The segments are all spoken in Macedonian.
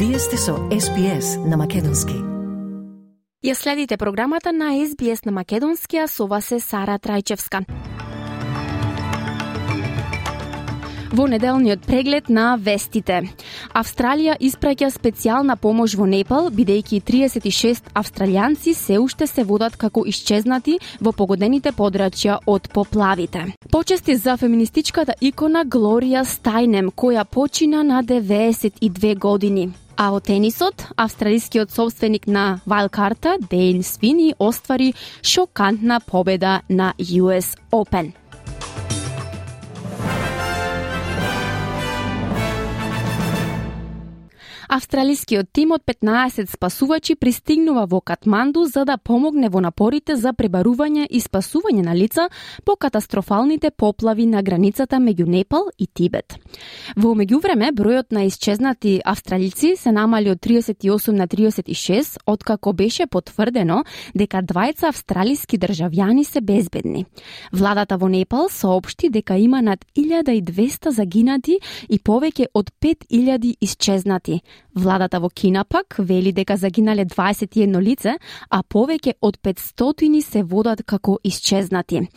Вие сте со SBS на македонски. Ја следите програмата на SBS на македонски, а со вас е Сара Трајчевска. Во неделниот преглед на вестите. Австралија испраќа специјална помош во Непал, бидејќи 36 австралијанци се уште се водат како исчезнати во погодените подрачја од поплавите. Почести за феминистичката икона Глорија Стајнем, која почина на 92 години. А во тенисот, австралискиот собственик на вајлдкарта Дејн Свини оствари шокантна победа на US Open. Австралискиот тим од 15 спасувачи пристигнува во Катманду за да помогне во напорите за пребарување и спасување на лица по катастрофалните поплави на границата меѓу Непал и Тибет. Во меѓувреме, бројот на исчезнати австралици се намали од 38 на 36, откако беше потврдено дека двајца австралиски државјани се безбедни. Владата во Непал соопшти дека има над 1200 загинати и повеќе од 5000 исчезнати. Владата во Кина пак вели дека загинале 21 лице, а повеќе од 500 се водат како исчезнати.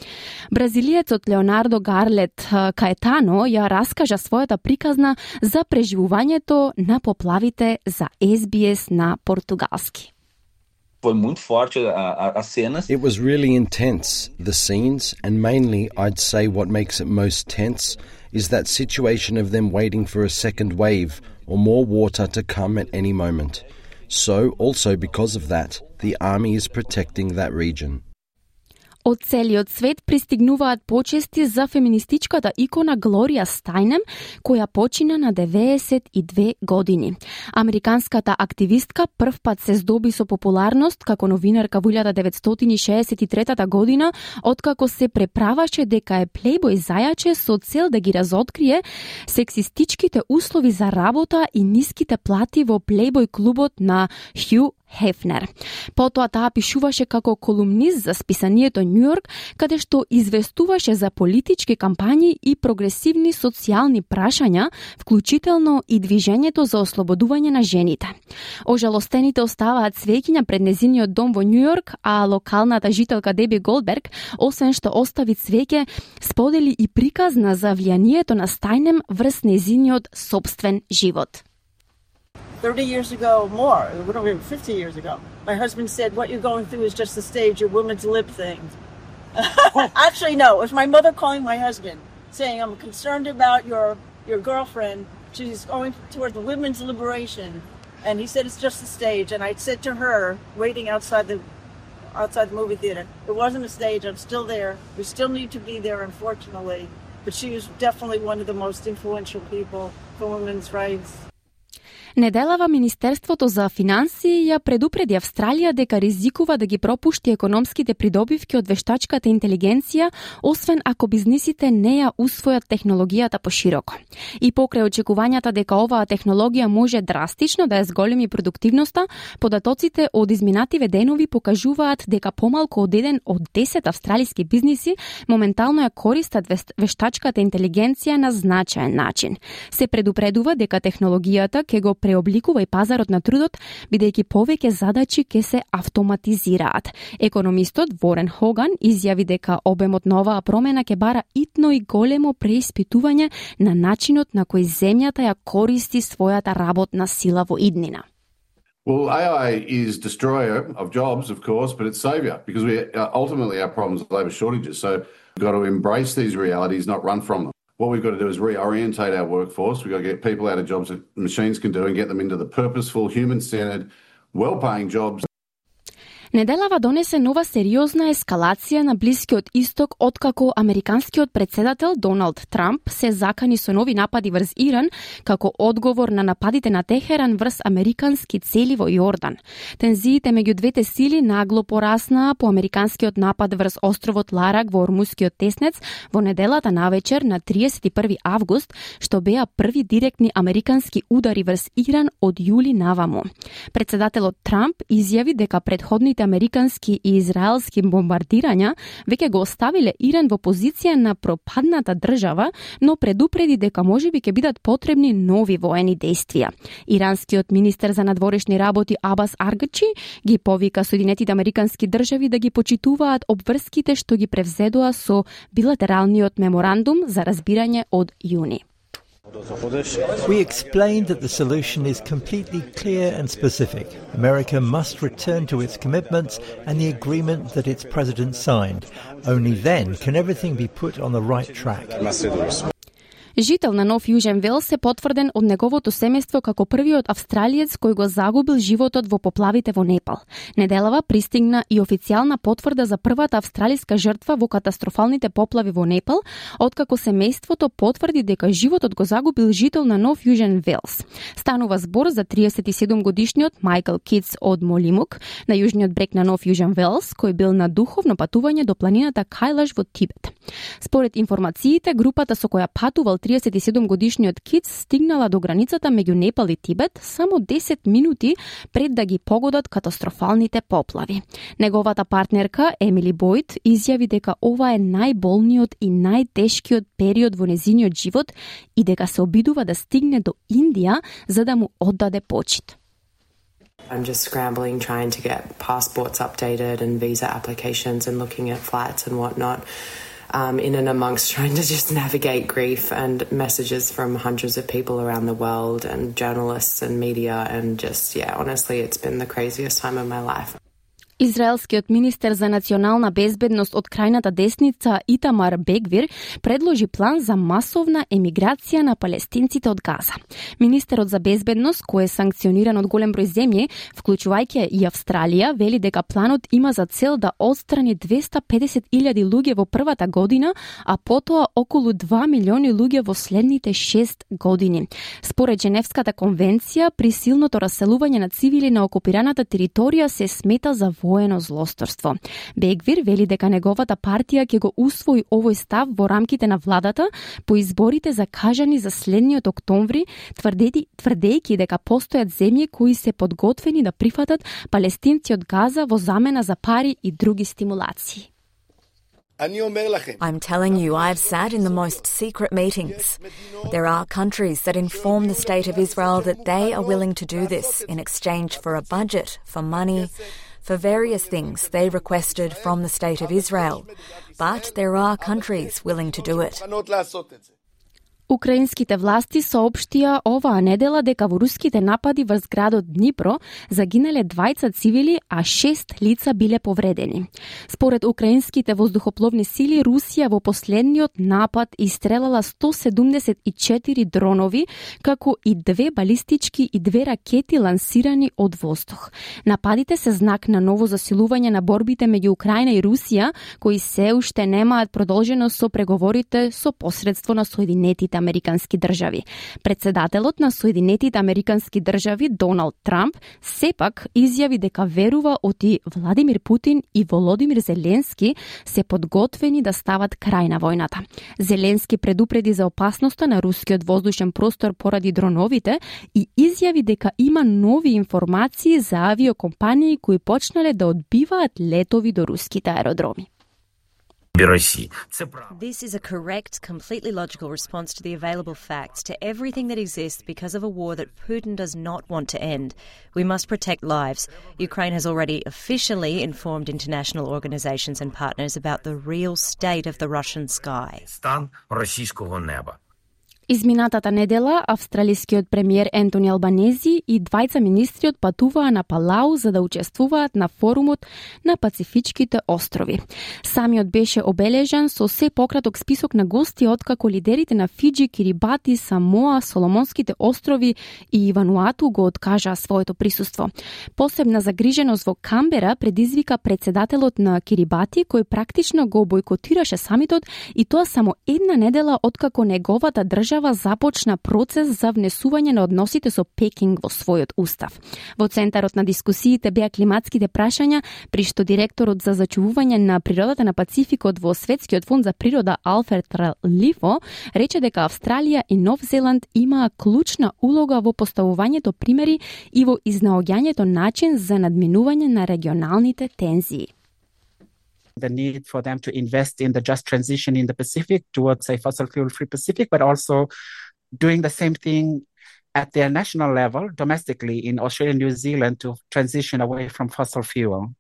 Бразилиецот Леонардо Гарлет Каетано ја раскажа својата приказна за преживувањето на поплавите за SBS на португалски. Foi muito forte as cenas. It was really intense, the scenes, and mainly I'd say what makes it most tense is that situation of them waiting for a second wave or more water to come at any moment. So, also because of that, the army is protecting that region. Од целиот свет пристигнуваат почести за феминистичката икона Глорија Стајнем, која почина на 92 години. Американската активистка првпат се здоби со популарност како новинарка во 1963 година, откако се преправаше дека е плейбој зајаче со цел да ги разоткрие сексистичките услови за работа и ниските плати во плейбој клубот на Хју Хефнер. Потоа таа пишуваше како колумнист за списанието Нью Йорк, каде што известуваше за политички кампањи и прогресивни социјални прашања, вклучително и движењето за ослободување на жените. Ожалостените оставаат свеќиња пред незиниот дом во Нью Йорк, а локалната жителка Деби Голдберг, освен што остави цвеќе, сподели и приказна за влијанието на Стајнем врз незиниот собствен живот. 30 years ago, more, 50 years ago, my husband said, what you're going through is just the stage, your woman's lip thing. Actually, no, it was my mother calling my husband, saying, I'm concerned about your girlfriend. She's going towards the women's liberation. And he said, it's just the stage. And I said to her, waiting outside the movie theater, it wasn't a stage, I'm still there. We still need to be there, unfortunately. But she was definitely one of the most influential people for women's rights. Неделава Министерството за финансии ја предупреди Австралија дека ризикува да ги пропушти економските придобивки од вештачката интелигенција, освен ако бизнисите не ја усвојат технологијата пошироко. И покрај очекувањата дека оваа технологија може драстично да ја зголеми продуктивноста, податоците од изминативе денови покажуваат дека помалку од 1 од 10 австралиски бизниси моментално ја користат вештачката интелигенција на значаен начин. Се предупредува дека технологијата ќе го преобликува и пазарот на трудот, бидејќи повеќе задачи ќе се автоматизираат. Економистот Ворен Хоган изјави дека обемот на оваа промена ќе бара итно и големо преиспитување на начинот на кој земјата ја користи својата работна сила во иднина. Well, AI is destroyer of jobs, of course, but it's savior because ultimately our problem is labour shortages. So we've got to embrace these realities, not run from them. What we've got to do is reorientate our workforce. We've got to get people out of jobs that machines can do and get them into the purposeful, human-centered, well-paying jobs. Неделава донесе нова сериозна ескалација на Блискиот Исток откако американскиот председател Доналд Трамп се закани со нови напади врз Иран како одговор на нападите на Техеран врз американски цели во Јордан. Тензиите меѓу двете сили нагло пораснаа по американскиот напад врз островот Ларак во Ормускиот теснец во неделата навечер на 31 август, што беа први директни американски удари врз Иран од јули наваму. Председателот Трамп изјави дека претходните американски и израелски бомбардирања веќе го оставиле Иран во позиција на пропадната држава, но предупреди дека можеби ќе бидат потребни нови воени действија. Иранскиот министер за надворешни работи Абас Аргачи ги повика Соединетите американски држави да ги почитуваат обврските што ги превзедоа со билатералниот меморандум за разбирање од јуни. We explained that the solution is completely clear and specific. America must return to its commitments and the agreement that its president signed. Only then can everything be put on the right track. Жител на Нов Јужен Велс е потврден од неговото семејство како првиот австралиец кој го загубил животот во поплавите во Непал. Неделава пристигна и официјална потврда за првата австралиска жртва во катастрофалните поплави во Непал, откако семејството потврди дека животот го загубил жител на Нов Јужен Велс. Станува збор за 37-годишниот Майкл Китс од Молимук, на јужниот брег на Нов Јужен Велс, кој бил на духовно патување до планината Кајлаш во Тибет. Според информациите, групата со која патувал 37-годишниот Китс стигнала до границата меѓу Непал и Тибет само 10 минути пред да ги погодат катастрофалните поплави. Неговата партнерка Емили Бойд изјави дека ова е најболниот и најтешкиот период во незиниот живот и дека се обидува да стигне до Индија за да му оддаде почит. I'm just scrambling, trying to get passports updated and visa applications and looking at flights and whatnot. In and amongst trying to just navigate grief and messages from hundreds of people around the world and journalists and media and just, honestly, it's been the craziest time of my life. Израелскиот министер за национална безбедност од крајната десница Итамар Бегвир предложи план за масовна емиграција на палестинците од Газа. Министерот за безбедност, кој е санкциониран од голем број земји, вклучувајќи и Австралија, вели дека планот има за цел да отстрани 250.000 луѓе во првата година, а потоа околу 2 милиони луѓе во следните 6 години. Според Женевската конвенција, присилното раселување на цивили на окупираната територија се смета за воено злосторство. Бегвир вели дека неговата партија ќе го усвои овој став во рамките на владата по изборите закажани за следниот октомври, тврдејќи дека постојат земји кои се подготвени да прифатат палестинци од Газа во замена за пари и други стимулации. I'm telling you, I've sat in the most secret meetings. There are countries that inform the State of Israel that they are willing to do this in exchange for a budget, for money, for various things they requested from the State of Israel. But there are countries willing to do it. Украинските власти соопштија оваа недела дека во руските напади врз градот Днипро загинале 20 цивили, а 6 лица биле повредени. Според украинските воздухопловни сили, Русија во последниот напад истрелала 174 дронови, како и 2 балистички и 2 ракети лансирани од воздух. Нападите се знак на ново засилување на борбите меѓу Украина и Русија, кои се уште немаат продолжено со преговорите со посредство на Соединетите американски држави. Председателот на Соединетите американски држави Доналд Трамп сепак изјави дека верува оти Владимир Путин и Володимир Зеленски се подготвени да стават крај на војната. Зеленски предупреди за опасноста на рускиот воздушен простор поради дроновите и изјави дека има нови информации за авиокомпании кои почнале да одбиваат летови до руските аеродроми. This is a correct, completely logical response to the available facts, to everything that exists because of a war that Putin does not want to end. We must protect lives. Ukraine has already officially informed international organizations and partners about the real state of the Russian sky. Изминатата недела, австралискиот премиер Ентони Албанези и двајца министри отпатуваа на Палау за да учествуваат на форумот на Пацифичките острови. Самиот беше обележан со се пократок список на гости откако лидерите на Фиджи, Кирибати, Самоа, Соломонските острови и Вануату го откажаа своето присуство. Посебна загриженост во Камбера предизвика председателот на Кирибати, кој практично го бойкотираше самитот, и тоа само една недела откако неговата држава држава започна процес за внесување на односите со Пекинг во својот устав. Во центарот на дискусиите беа климатските прашања, при што директорот за зачувување на природата на Пацификот во Светскиот фонд за природа Алфред Лифо рече дека Австралија и Нов Зеланд имаа клучна улога во поставувањето примери и во изнаоѓањето начин за надминување на регионалните тензии. The need for them to invest in the just transition in the Pacific towards a fossil fuel-free Pacific, but also doing the same thing at their national level, domestically in Australia and New Zealand, to transition away from fossil fuel.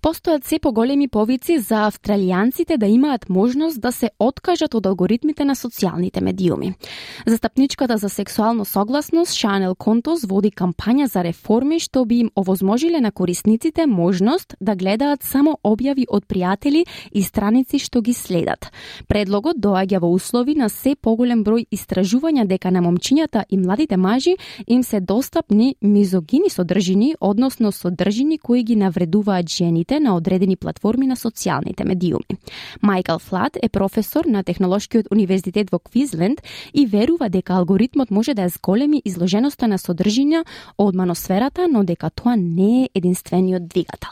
Постојат се поголеми повици за австралијанците да имаат можност да се откажат од алгоритмите на социјалните медиуми. Застапничката за сексуално согласност Шанел Контос води кампања за реформи што би им овозможиле на корисниците можност да гледаат само објави од пријатели и страници што ги следат. Предлогот доаѓа во услови на се поголем број истражувања дека на момчињата и младите мажи им се достапни мизогини содржини, односно содржини кои ги навредуваат жените на одредени платформи на социјалните медиуми. Майкл Флат е професор на Технолошкиот универзитет во Квизленд и верува дека алгоритмот може да ја зголеми изложеноста на содржина од маносферата, но дека тоа не е единствениот двигател.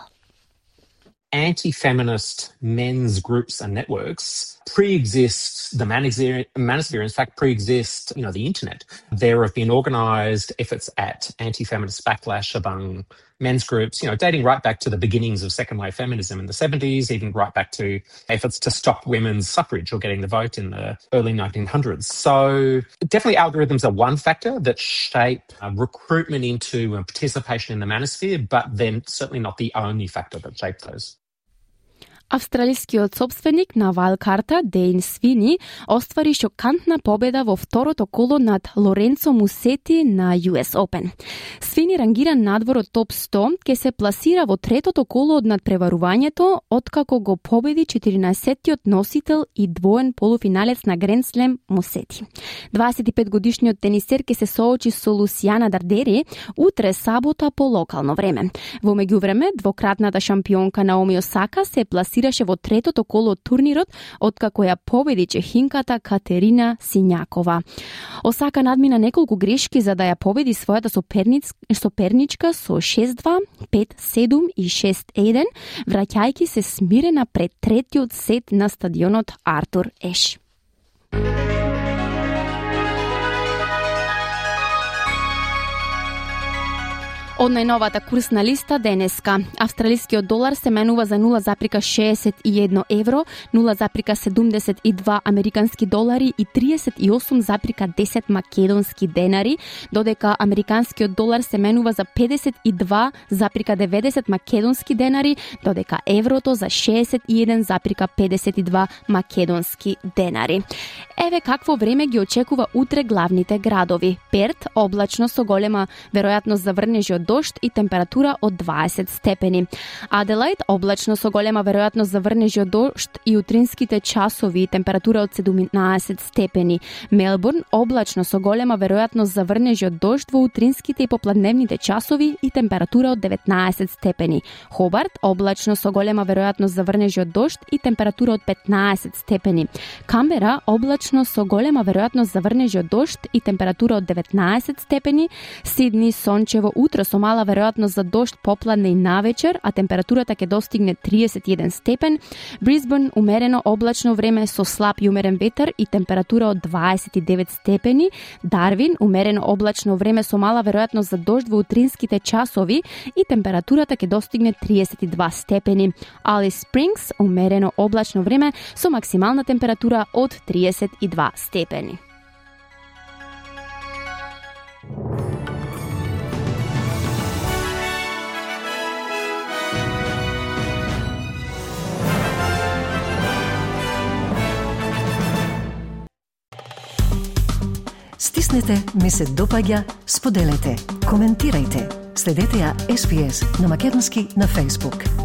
Anti-feminist men's groups and networks pre-exist the manosphere, in fact, pre-exist, the internet. There have been organised efforts at anti-feminist backlash among men's groups, dating right back to the beginnings of second-wave feminism in the 70s, even right back to efforts to stop women's suffrage or getting the vote in the early 1900s. So definitely algorithms are one factor that shape recruitment into participation in the manosphere, but then certainly not the only factor that shape those. Австралискиот собственик на Вајлкарта, Дейн Свини, оствари шокантна победа во второто коло над Лоренцо Мусети на US Open. Свини рангиран надвор од топ 100, ке се пласира во третото коло од надпреварувањето, откако го победи 14-тиот носител и двоен полуфиналец на Гранд Слем Мусети. 25-годишниот тенисер ке се соочи со Лусијана Дардери утре сабота по локално време. Во меѓувреме, двократната шампионка Наоми Осака се пласираше во третото коло од турнирот, откако ја победи чехинката Катерина Сињакова. Осака надмина неколку грешки за да ја победи својата соперничка со 6-2, 5-7 и 6-1, враќајќи се смирена пред третиот сет на стадионот Артур Еш. Од најновата курсна листа денеска, австралискиот долар се менува за 0,61 евро, 0,72 американски долари и 38,10 македонски денари, додека американскиот долар се менува за 52,90 македонски денари, додека еврото за 61,52 македонски денари. Еве какво време ги очекува утре главните градови. Перт, облачно со голема веројатност за врнежи од дожд и температура од 20 степени. Аделаид, облачно со голема веројатност за врнежи од дожд и утринските часови и температура од 17 степени. Мелбурн, облачно со голема веројатност за врнежи од дожд во утринските и попладневните часови и температура од 19 степени. Хобарт, облачно со голема веројатност за врнежи од дожд и температура од 15 степени. Камбера, облачно со голема веројатност за врнежи од дожд и температура од 19 степени. Сидни, сончево утро со мала веројатност за дожд попладне и навечер, а температурата ќе достигне 31 степен. Брисбен, умерено облачно време со слаб и умерен ветер и температура од 29 степени. Дарвин, умерено облачно време со мала веројатност за дожд во утринските часови и температурата ќе достигне 32 степени. Алис Спрингс, умерено облачно време со максимална температура од 32 степени. Стиснете, ми се допаѓа, споделете, коментирајте. Следете ја SPS на македонски на Facebook.